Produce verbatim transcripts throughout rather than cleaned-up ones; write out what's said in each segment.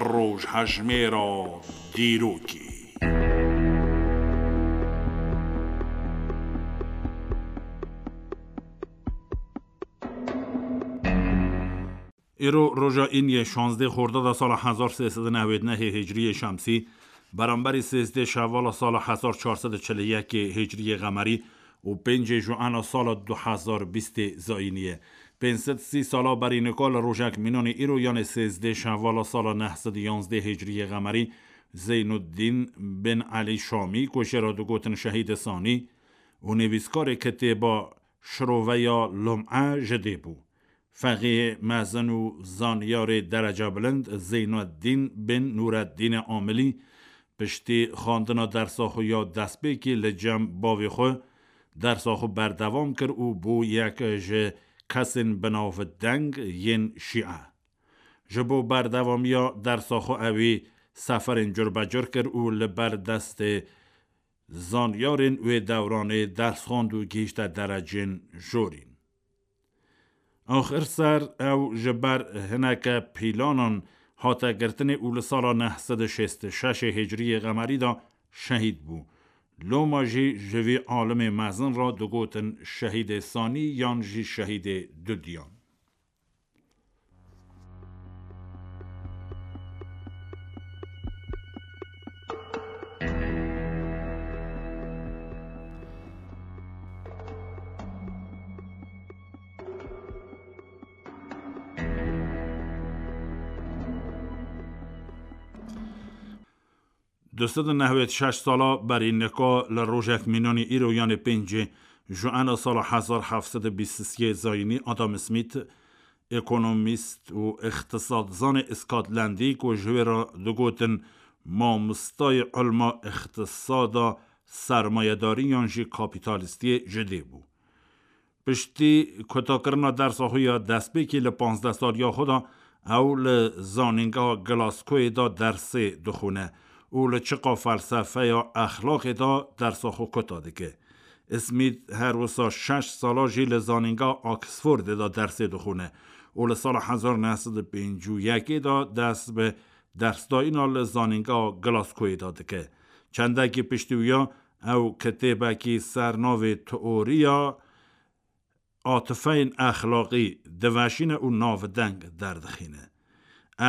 Rojhejmêra dîrokê. Îro roja Îniyê şazdeh Xordada sala hezar sê sed û newêd nehê Hicriyê Şemsî, beramberî sêzdeh Şevala sala hezar çar sed û çil û yekê Hicriyê Qemerî û pêncê Juena sala du hezar bîstê Zayînî ye. Pênc sed sî sala berî nika li rojek mînanê îro, yanê sêzdeh Şevala sala neh sed û yanzdeh Hicriyê Qemerî, Zeynuddîn bin Elî Şamî, ku jê re digotin Şehîdê Sanî û nivîskarê kitêba Şiroveya Lum'e ji dê bû. Feqîhê mezin û zanyarê derecebilind Zeynuddîn bin Nûreddînê Amilî piştî xwendina dersa xwe ya destpêkê li cem bavê xwe dersa xwe berdewam kir û bû yek ji kesên binavdeng yên şîe. Ji bo berdewamiya dersa xwe ewî seferên curbecur kir û li ber destê zanyarên wê dewranê ders xwend û gihîşte derecên jorîn. Axir ser ew ji ber hineke pîlanan hate girtinê û li sala neh sed û şêst û şeş Hicriyê Qemerî de şehîd bû. Loma jî ji vî alimê mezin re digotin Şehîdê Sanî yan jî Şehîdê Dudiyan. Du sed û nehwêd şeş sala berî nika li rojek mînanî îro, yanê pêncê Juena sala hezar heft sed û bîst û sê Zayînî, Adam Smith, ekonomîst û îqtisatzanê Îskotlandî, ku ji wê re digotin mamostayê ilma îqtisada sermayedarî yan jî kapîtalîstiyê, ji dê bû. Piştî kotakirina dersa xwe ya destpêkê li panzdeh saliya xwe de, ew li Zanîngeha Glasgoyê de dersê dixwîne û li çiqa felsefeya exlaqê de dersa xwe kota dike. Smith her wisa şeş sala jî li Zanîngeha Oxfordê de dersê dixwîne û li sala hezar neh sed û pêncî û yekê de dest bi dersdayîna li Zanîngeha Glasgoyê de dike. Çendekî piştî wiya ew kitêbekî ser navê Teoriya Atîfeyên Exlaqî diveşîne û navdeng derdixîne.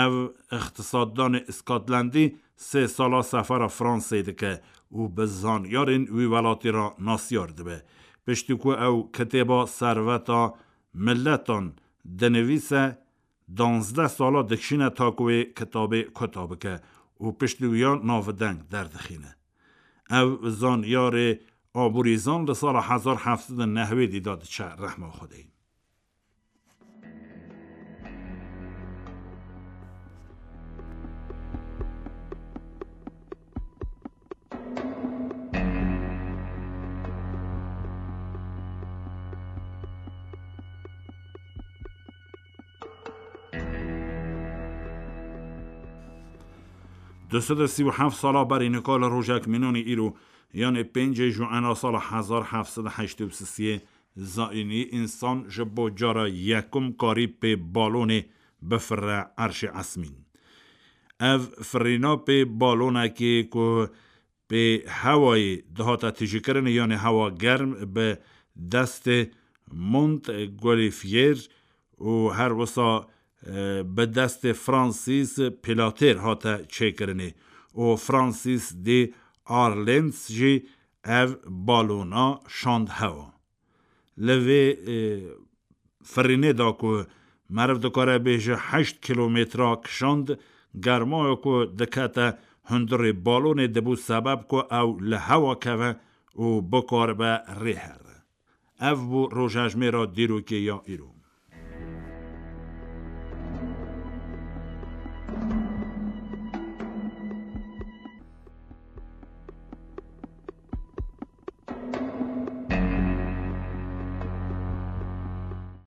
Ev îqtisaddanê Îskotlandî sê sala sefera Fransê dike û bi zanyarên wî welatî re nasyar dibe. Piştî ku ew kitêba Serveta Miletan dinivîse, danzdeh sala dikişîne ta ku wê kitabê kota bike û piştî wiya navdeng derdixîne. Ev zanyarê aborîzan li sala hezar heft sed û nehwêdî de diçe rehma Xwedê. Du sed û sî û heft sala berî nika li rojek mînanî îro, yanê pêncê Juena sala hezar heft sed û heştê û sisê Zayînî, însan ji bo cara yekum karî pê balonê bifirre erşê esmîn. Ev firîna pê balonekê ku pê hewayê dihate tijîkirinê, yanê hewa germ, bi destê Montgolfier û her wisa, e, bi destê Francis Pilater hate çêkirinê û Francis de Arlens jî ev balona şand hewa. Li vê, e, firînê de ku meriv dikare bêje heşt kîlometra kişand, germaya ku dikete hundirê balonê dibû sebeb ku ew li hewa keve û bikaribe rê here. Ev bû rojhejmêra dîrokê ya îro.